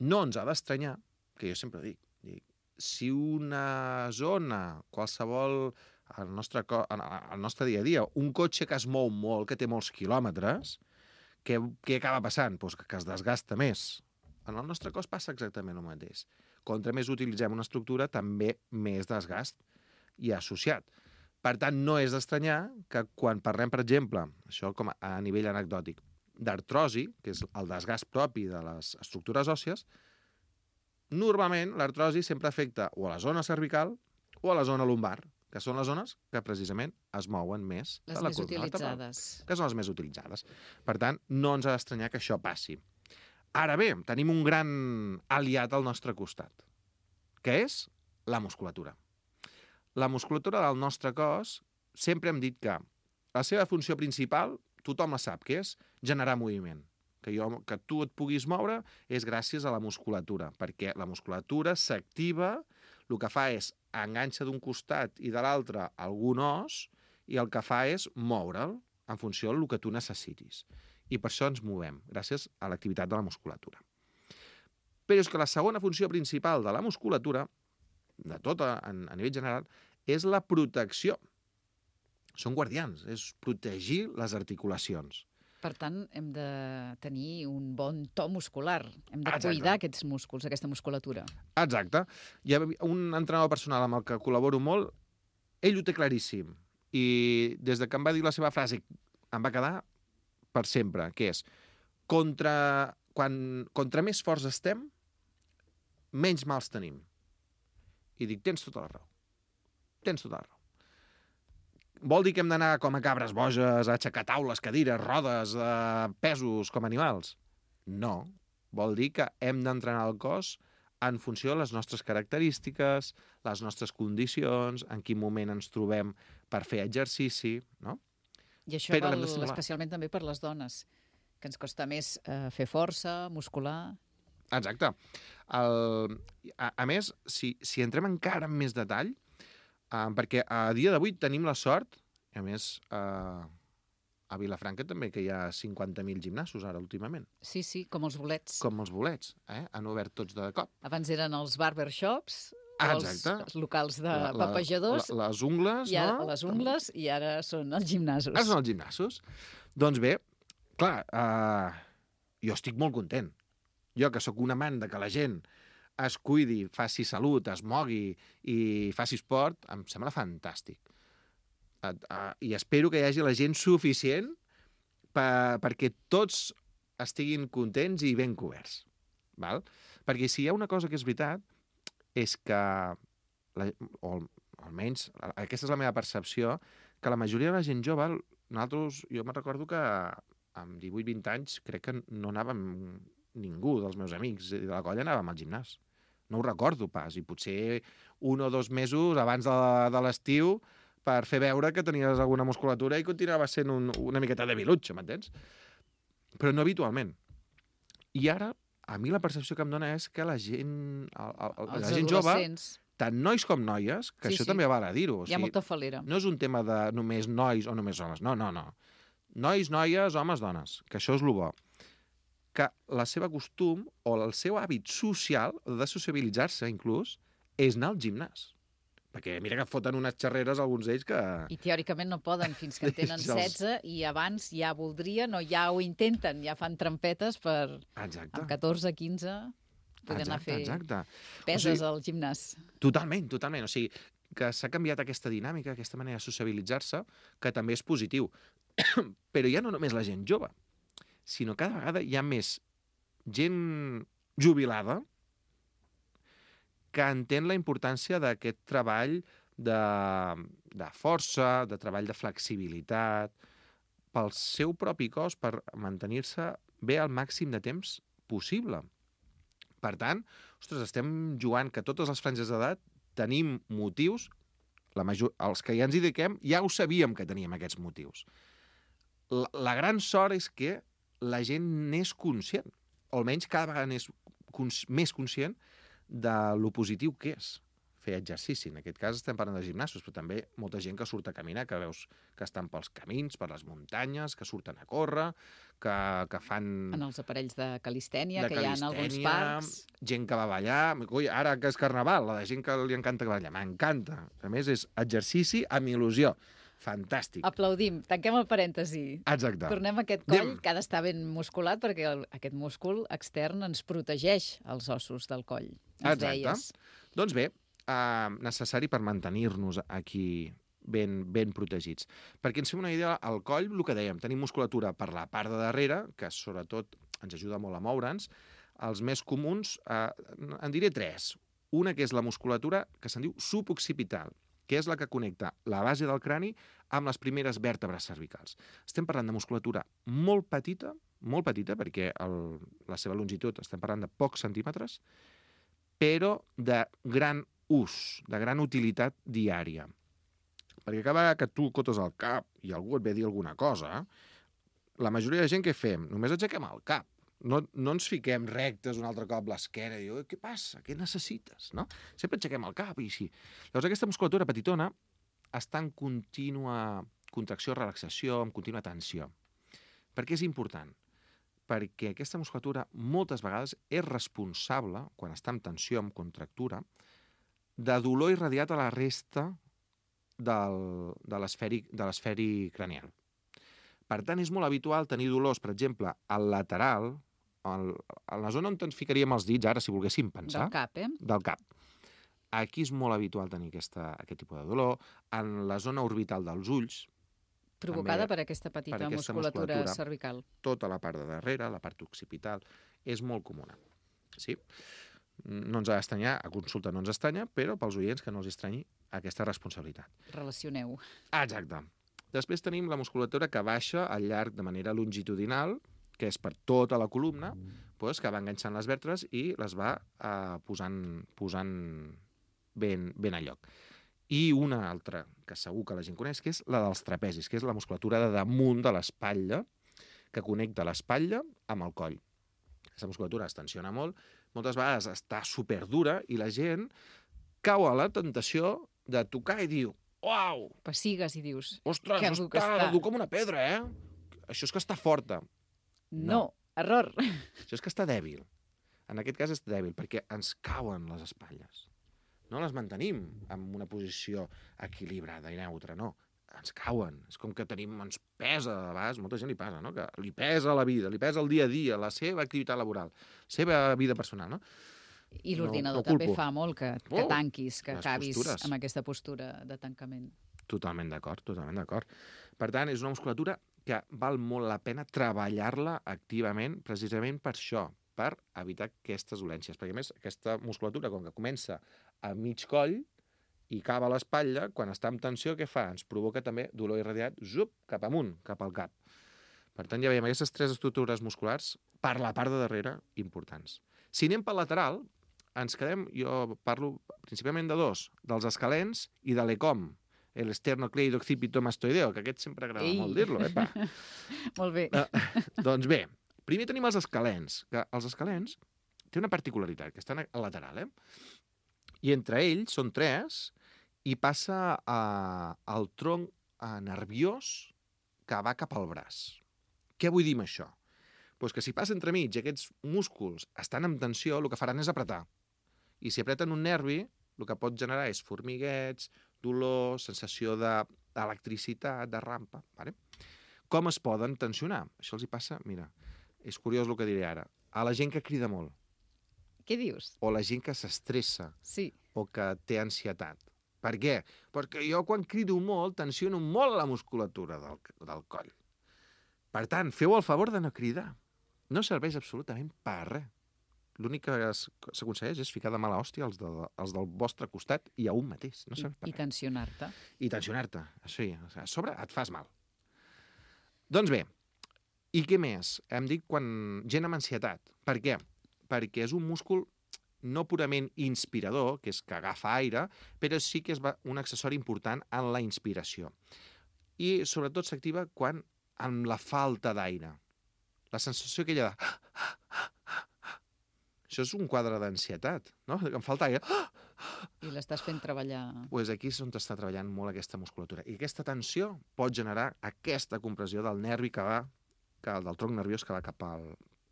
no ens ha d'estranyar, que jo sempre dic, dic, si una zona, qualsevol, al nostre, al nostre dia a dia, un cotxe que es mou molt, que té molts quilòmetres, què, què acaba passant? Pues que es desgasta més. En el nostre cos passa exactament el mateix. Contra més utilitzem una estructura, també més desgast hi ha associat. Per tant, no és d'estranyar que quan parlem, per exemple, això com a nivell anecdòtic, d'artrosi, que és el desgast propi de les estructures òssies, normalment l'artrosi sempre afecta o a la zona cervical o a la zona lumbar, que són les zones que precisament es mouen més Les de la més columna vertebral, utilitzades. que són les més utilitzades. Per tant, no ens ha d'estranyar que això passi. Ara bé, tenim un gran aliat al nostre costat, que és la musculatura. La musculatura del nostre cos, sempre hem dit que la seva funció principal, tothom la sap, que és generar moviment. Que, jo, que tu et puguis moure és gràcies a la musculatura, perquè la musculatura s'activa, el que fa és enganxa d'un costat i de l'altre algun os, i el que fa és moure'l en funció del que tu necessitis. I per això ens movem, gràcies a l'activitat de la musculatura. Però és que la segona funció principal de la musculatura, de tot a, a nivell general, és la protecció. Són guardians, és protegir les articulacions. Per tant, hem de tenir un bon to muscular. Hem de Exacte. cuidar aquests músculs, aquesta musculatura. Exacte. Hi ha un entrenador personal amb el que col·laboro molt, ell ho té claríssim. I des de que em va dir la seva frase, em va quedar per sempre, que és contra, quan, contra més forts estem, menys mals tenim. I dic, tens tota la raó. Tens tota la raó. Vol dir que hem d'anar com a cabres boges a aixecar taules, cadires, rodes, eh, pesos com animals? No. Vol dir que hem d'entrenar el cos en funció de les nostres característiques, les nostres condicions, en quin moment ens trobem per fer exercici, no? I això Però val l'hem de simular. especialment també per les dones, que ens costa més eh, fer força, muscular... Exacte. El, a, a més, si, si entrem encara en més detall, eh, perquè a dia d'avui tenim la sort, i a més eh, a Vilafranca també, que hi ha cinquanta mil gimnasos ara últimament. Sí, sí, com els bolets. Com els bolets, eh? Han obert tots de cop. Abans eren els barbershops, Ah, els, exacte. els locals de La- la- papejadors, la- les ungles, i ara, no? les ungles, i ara són els gimnasos. Ara són els gimnasos. Doncs bé, clar, eh, jo estic molt content. Jo, que sóc un amant de que la gent es cuidi, faci salut, es mogui i faci esport, em sembla fantàstic. Eh, eh, I espero que hi hagi la gent suficient per, perquè tots estiguin contents i ben coberts. Val? Perquè si hi ha una cosa que és veritat, és que, la, o almenys aquesta és la meva percepció, que la majoria de la gent jove, nosaltres, jo me'n recordo que amb divuit vint anys crec que no anàvem ningú dels meus amics de la colla anàvem al gimnàs. No ho recordo pas, i potser un o dos mesos abans de, de l'estiu per fer veure que tenies alguna musculatura i continuava sent un, una miqueta de vilutxo, m'entens? Però no habitualment. I ara, a mi la percepció que em dona és que la gent, el, el, Els la gent jove, adolescents. tant nois com noies, que Sí, això sí. també val a dir-ho. O Hi ha sigui, molta falera. no és un tema de només nois o només homes. No, no, no. Nois, noies, homes, dones. Que això és el bo. Que la seva costum o el seu hàbit social, de sociabilitzar-se inclús, és anar al gimnàs. Perquè mira que foten unes xerreres alguns d'ells que... I teòricament no poden fins que en tenen Se'ls- setze i abans ja voldrien o ja ho intenten, ja fan trampetes per Exacte. amb catorze, quinze poder anar a fer exacte. peses O sigui, al gimnàs. Totalment, totalment. O sigui, que s'ha canviat aquesta dinàmica, aquesta manera de sociabilitzar-se, que també és positiu. Però ja no només la gent jove, sinó cada vegada hi ha més gent jubilada que entén la importància d'aquest treball de, de força, de treball de flexibilitat, pel seu propi cos, per mantenir-se bé al màxim de temps possible. Per tant, ostres, estem jugant que totes les franges d'edat tenim motius La major... Els que ja ens hi dediquem ja ho sabíem que teníem aquests motius. La, la gran sort és que la gent n'és conscient, o almenys cada vegada n'és cons... més conscient de lo positiu que és fer exercici. En aquest cas estem parlant de gimnasos, però també molta gent que surt a caminar, que veus que estan pels camins, per les muntanyes, que surten a córrer, que, que fan... En els aparells de calistènia, de que hi ha en alguns parcs. Gent que va ballar. Ui, ara que és carnaval, la de gent que li encanta ballar. M'encanta. A més, és exercici amb il·lusió. Fantàstic. Aplaudim. Tanquem el parèntesi. Exacte. Tornem a aquest coll, Anem. que ha d'estar ben musculat, perquè el, aquest múscul extern ens protegeix els ossos del coll. Ens Exacte. deies. Doncs bé, Uh, necessari per mantenir-nos aquí ben, ben protegits. Perquè ens fem una idea, al coll, el que dèiem, tenim musculatura per la part de darrere, que sobretot ens ajuda molt a moure'ns. Els més comuns, uh, en diré tres. Una que és la musculatura que se'n diu suboccipital, que és la que connecta la base del crani amb les primeres vèrtebres cervicals. Estem parlant de musculatura molt petita, molt petita, perquè el, la seva longitud, estem parlant de pocs centímetres, però de gran ús, de gran utilitat diària. Perquè cada vegada que tu cotes el cap i algú et ve a dir alguna cosa, la majoria de gent què fem? Només aixequem el cap. No, no ens fiquem rectes un altre cop l'esquena i diu, què passa? Què necessites? No? Sempre aixequem el cap i així. Llavors aquesta musculatura petitona està en contínua contracció, relaxació, en contínua tensió. Per què és important? Perquè aquesta musculatura moltes vegades és responsable, quan està en tensió, en contractura, de dolor irradiat a la resta del, de l'esferi cranial. Per tant, és molt habitual tenir dolors, per exemple, al lateral, al, a la zona on ens ficaríem els dits, ara, si volguéssim pensar. Del cap, eh? Del cap. Aquí és molt habitual tenir aquesta, aquest tipus de dolor. En la zona orbital dels ulls. Provocada per aquesta petita per aquesta musculatura, musculatura cervical. Tota la part de darrere, la part occipital, és molt comuna. Sí? No ens ha d'estranyar, a consulta no ens estranya, però pels oients que no els estranyi aquesta responsabilitat. Relacioneu. Exacte. Després tenim la musculatura que baixa al llarg de manera longitudinal, que és per tota la columna, doncs, que va enganxant les vèrtebres i les va eh, posant, posant ben, ben a lloc. I una altra, que segur que la gent coneix, que és la dels trapezis, que és la musculatura de damunt de l'espatlla, que connecta l'espatlla amb el coll. Aquesta musculatura es tensiona molt, moltes vegades està superdura i la gent cau a la tentació de tocar i diu, uau! Pessigues i dius, ostres, que està, dur que està. dur com una pedra, eh? Això és que està forta. No, No. error. Això és que està dèbil. En aquest cas és dèbil, perquè ens cauen les espatlles. No les mantenim en una posició equilibrada i neutra, no. Ens cauen. És com que tenim, ens pesa, a vegades, molta gent li passa, no? Que li pesa la vida, li pesa el dia a dia, la seva activitat laboral, la seva vida personal, no? I l'ordinador no, no també culpo. fa molt que, que Oh, tanquis, que les acabis postures. amb aquesta postura de tancament. Totalment d'acord, totalment d'acord. Per tant, és una musculatura que val molt la pena treballar-la activament, precisament per això, per evitar aquestes dolències. Perquè, a més, aquesta musculatura, com que comença a mig coll i acaba a l'espatlla, quan està en tensió, què fa? Ens provoca també dolor irradiat, zup, cap amunt, cap al cap. Per tant, ja veiem aquestes tres estructures musculars, per la part de darrere, importants. Si anem pel lateral, ens quedem, jo parlo principalment de dos, dels escalens i de l'ecom, l'esternocleidoccipitomastoideo, que aquest sempre agrada Ei. molt dir-lo, eh, pa? Molt bé. Uh, doncs bé, primer tenim els escalens, que els escalens té una particularitat, que estan al lateral, eh? I entre ells són tres, i passa a, al tronc a, nerviós que va cap al braç. Què vull dir amb això? Pues que si passa entremig aquests músculs estan en tensió, el que faran és apretar. I si apreten un nervi, el que pot generar és formiguets, dolor, sensació d'electricitat, de rampa. Vale? Com es poden tensionar? Això els hi passa, mira, és curiós el que diré ara, a la gent que crida molt, Què dius? o la gent que s'estressa, Sí. o que té ansietat. Per què? Perquè jo quan crido molt tensiono molt la musculatura del, del coll. Per tant, feu el favor de no cridar. No serveix absolutament per res. L'únic que es- s'aconsegueix és ficar de mala hòstia als, de, als del vostre costat i a un mateix. No I, serveix per i res. tensionar-te. I tensionar-te, sí. A sobre et fas mal. Doncs bé, i què més? Hem dit quan gent amb ansietat. Per què? Perquè és un múscul no purament inspirador, que és que agafa aire, però sí que és un accessori important en la inspiració. I sobretot s'activa quan amb la falta d'aire. La sensació aquella de... Això és un quadre d'ansietat, no? Que em falta aire. I l'estàs fent treballar. Pues aquí és on està treballant molt aquesta musculatura. I aquesta tensió pot generar aquesta compressió del nervi que va, que, del tronc nerviós que va cap al,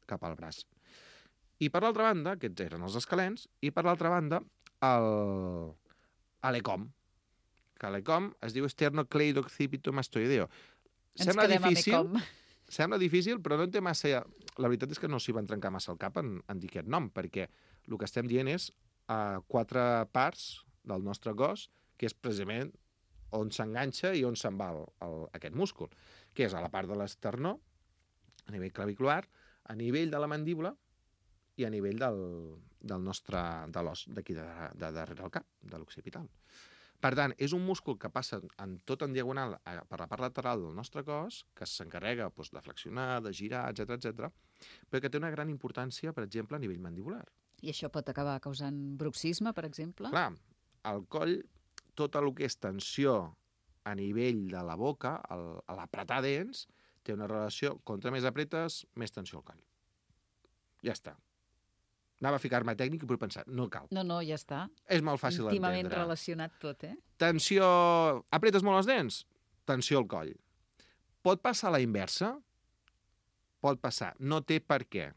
cap al braç. I per l'altra banda, aquests eren els escalens, i per l'altra banda, el, l'ECOM, que l'ECOM es diu esternocleidoccipitomastoideo. Ens Sembla quedem difícil, amb ECOM. Sembla difícil, però no en té massa... La veritat és que no s'hi van trencar massa el cap en, en dir aquest nom, perquè el que estem dient és uh, quatre parts del nostre cos, que és precisament on s'enganxa i on se'n va el, el, aquest múscul, que és a la part de l'esternó, a nivell clavicular, a nivell de la mandíbula i a nivell del, del nostre, de l'os d'aquí de, de darrere del cap, de l'occipital. Per tant, és un múscul que passa en tot en diagonal a, per la part lateral del nostre cos, que s'encarrega doncs, de flexionar, de girar, etcètera, etcètera, però que té una gran importància, per exemple, a nivell mandibular. I això pot acabar causant bruxisme, per exemple? Clar, al coll, tot el que és tensió a nivell de la boca, el, a l'apretar dents, té una relació, contra més apretes, més tensió al coll. Ja està. Anava a ficar-me tècnic i vull pensar, no cal. No, no, ja està. És molt fàcil d'entendre. Íntimament relacionat tot, eh? Tensió... Apretes molt els dents? Tensió al coll. Pot passar a la inversa? Pot passar. No té per què.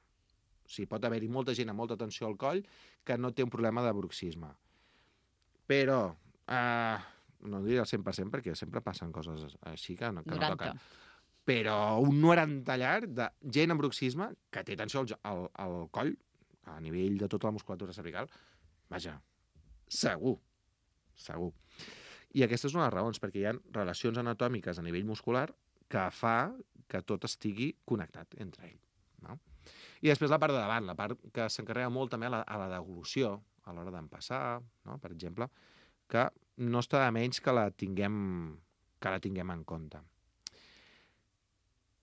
O sigui, pot haver-hi molta gent amb molta tensió al coll que no té un problema de bruxisme. Però, eh, no diré el cent per cent perquè sempre passen coses així que no, que no toquen. Però un noranta llarg de gent amb bruxisme que té tensió al, al, al coll, a nivell de tota la musculatura cervical, vaja, segur, segur. I aquesta és una de les raons, perquè hi ha relacions anatòmiques a nivell muscular que fa que tot estigui connectat entre ell. No? I després la part de davant, la part que s'encarrega molt també a la, a la deglució, a l'hora d'empassar, no? Per exemple, que no està de menys que la tinguem, que la tinguem en compte.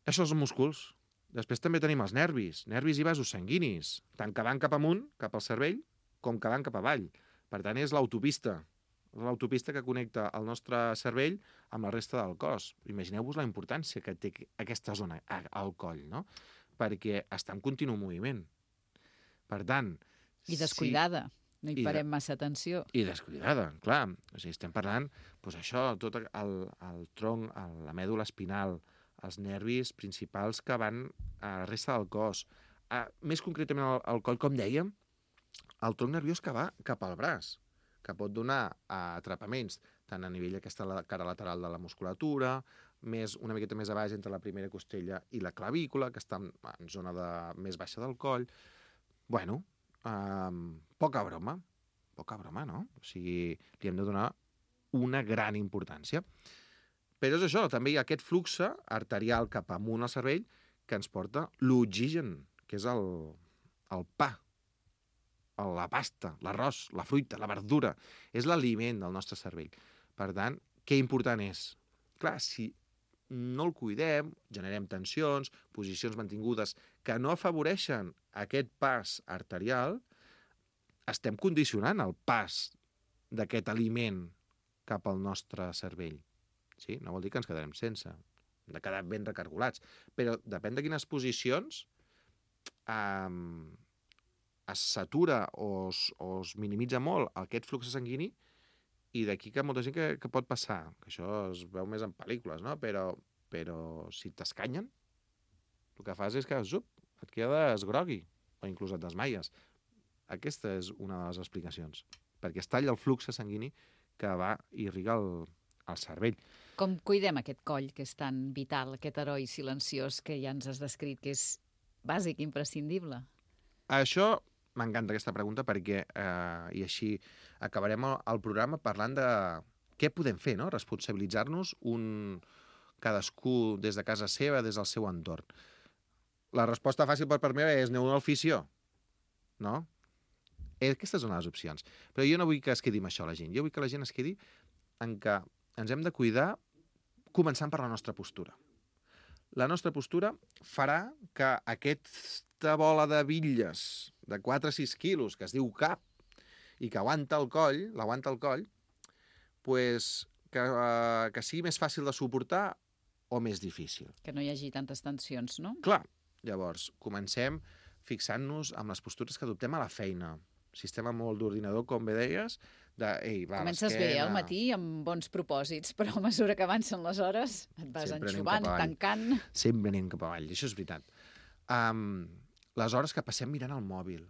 Això són músculs. Després també tenim els nervis, nervis i vasos sanguinis, tant que van cap amunt, cap al cervell, com que van cap avall. Per tant, és l'autopista, l'autopista que connecta el nostre cervell amb la resta del cos. Imagineu-vos la importància que té aquesta zona al coll, no? Perquè està en continu moviment. Per tant... I descuidada, si... no hi parem de... massa atenció. I descuidada, clar. O sigui, estem parlant, doncs això, tot el, el tronc, el, la mèdula espinal, els nervis principals que van a la resta del cos. A, més concretament al, al coll, com dèiem, el tronc nerviós que va cap al braç, que pot donar a atrapaments tant a nivell d'aquesta cara lateral de la musculatura, més, una miqueta més a baix entre la primera costella i la clavícula, que està en, en zona de, més baixa del coll. Bueno, um, poca broma, poca broma, no? O sigui, li hem de donar una gran importància. Però és això, també hi ha aquest flux arterial cap amunt al cervell que ens porta l'oxigen, que és el, el pa, la pasta, l'arròs, la fruita, la verdura. És l'aliment del nostre cervell. Per tant, què important és? Clar, si no el cuidem, generem tensions, posicions mantingudes que no afavoreixen aquest pas arterial, estem condicionant el pas d'aquest aliment cap al nostre cervell. Sí? No vol dir que ens quedarem sense. Hem de quedar ben recargolats. Però depèn de quines posicions eh, es satura o es, o es minimitza molt aquest flux sanguini i d'aquí que molta gent que, que pot passar, que això es veu més en pel·lícules, no? Però, però si t'escanyen, el que fas és que zup, et quedes grogui o inclús et desmaies. Aquesta és una de les explicacions. Perquè es talla el flux sanguini que va i irriga el, el cervell. Com cuidem aquest coll, que és tan vital, aquest heroi silenciós que ja ens has descrit, que és bàsic, imprescindible? Això m'encanta, aquesta pregunta, perquè eh, i així acabarem el, el programa parlant de què podem fer, no? Responsabilitzar-nos un cadascú des de casa seva, des del seu entorn. La resposta fàcil per part meva és aneu al fisio, no? Aquestes són les opcions. Però jo no vull que es quedi amb això la gent. Jo vull que la gent es quedi en que ens hem de cuidar començant per la nostra postura. La nostra postura farà que aquesta bola de bitlles de quatre a sis quilos, que es diu cap, i que aguanta el coll, l'aguanta el coll, pues, que, uh, que sigui més fàcil de suportar o més difícil. Que no hi hagi tantes tensions, no? Clar. Llavors, comencem fixant-nos amb les postures que adoptem a la feina. Sistema molt d'ordinador, com bé deies, de, ei, va, comences bé al matí amb bons propòsits, però a mesura que avancen les hores et vas Sempre enxubant, tancant... Sempre anem cap avall, això és veritat. Um, les hores que passem mirant el mòbil,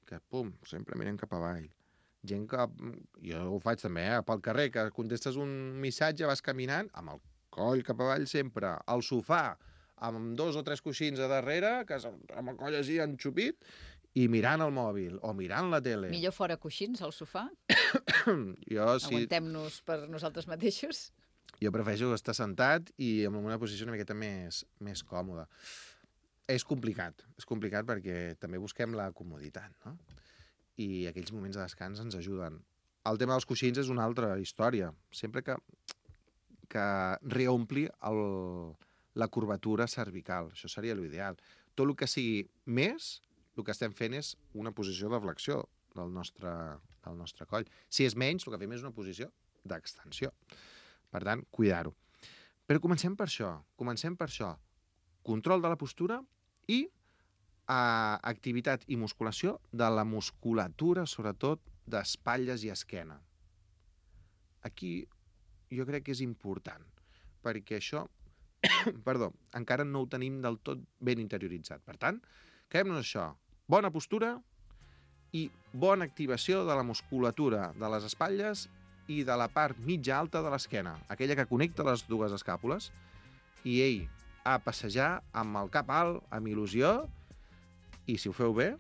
que, pum, sempre mirem cap avall. Gent que... Jo ho faig també, eh? Pel carrer, que contestes un missatge, vas caminant, amb el coll cap avall sempre, al sofà, amb dos o tres coixins a darrere, que amb el coll així enxupit, i mirant el mòbil, o mirant la tele. Millor fora coixins, al sofà? jo, sí... Aguantem-nos per nosaltres mateixos? Jo prefereixo estar sentat i en una posició una miqueta més, més còmoda. És complicat, és complicat perquè també busquem la comoditat, no? I aquells moments de descans ens ajuden. El tema dels coixins és una altra història. Sempre que, que reompli el, la curvatura cervical. Això seria l'ideal. Tot el que sigui més, el que estem fent és una posició de flexió del nostre, del nostre coll. Si és menys, el que fem és una posició d'extensió. Per tant, cuidar-ho. Però comencem per això. Comencem per això. Control de la postura i a activitat i musculació de la musculatura, sobretot d'espatlles i esquena. Aquí jo crec que és important, perquè això, perdó, encara no ho tenim del tot ben interioritzat. Per tant, quedem-nos això. Bona postura i bona activació de la musculatura de les espatlles i de la part mitja alta de l'esquena, aquella que connecta les dues escàpules. I, ei, a passejar amb el cap alt, amb il·lusió, i si ho feu bé,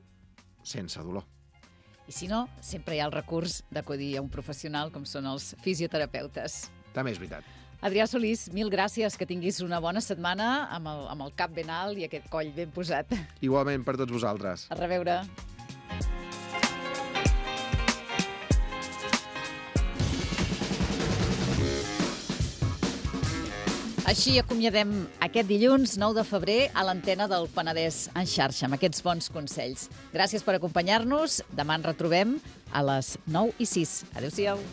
sense dolor. I si no, sempre hi ha el recurs d'acudir a un professional com són els fisioterapeutes. També és veritat. Adrià Solís, mil gràcies, que tinguis una bona setmana amb el, amb el cap ben alt i aquest coll ben posat. Igualment per tots vosaltres. A reveure. Així acomiadem aquest dilluns nou de febrer a l'antena del Penedès en xarxa, amb aquests bons consells. Gràcies per acompanyar-nos. Demà ens retrobem a les nou i sis. Adéu-siau.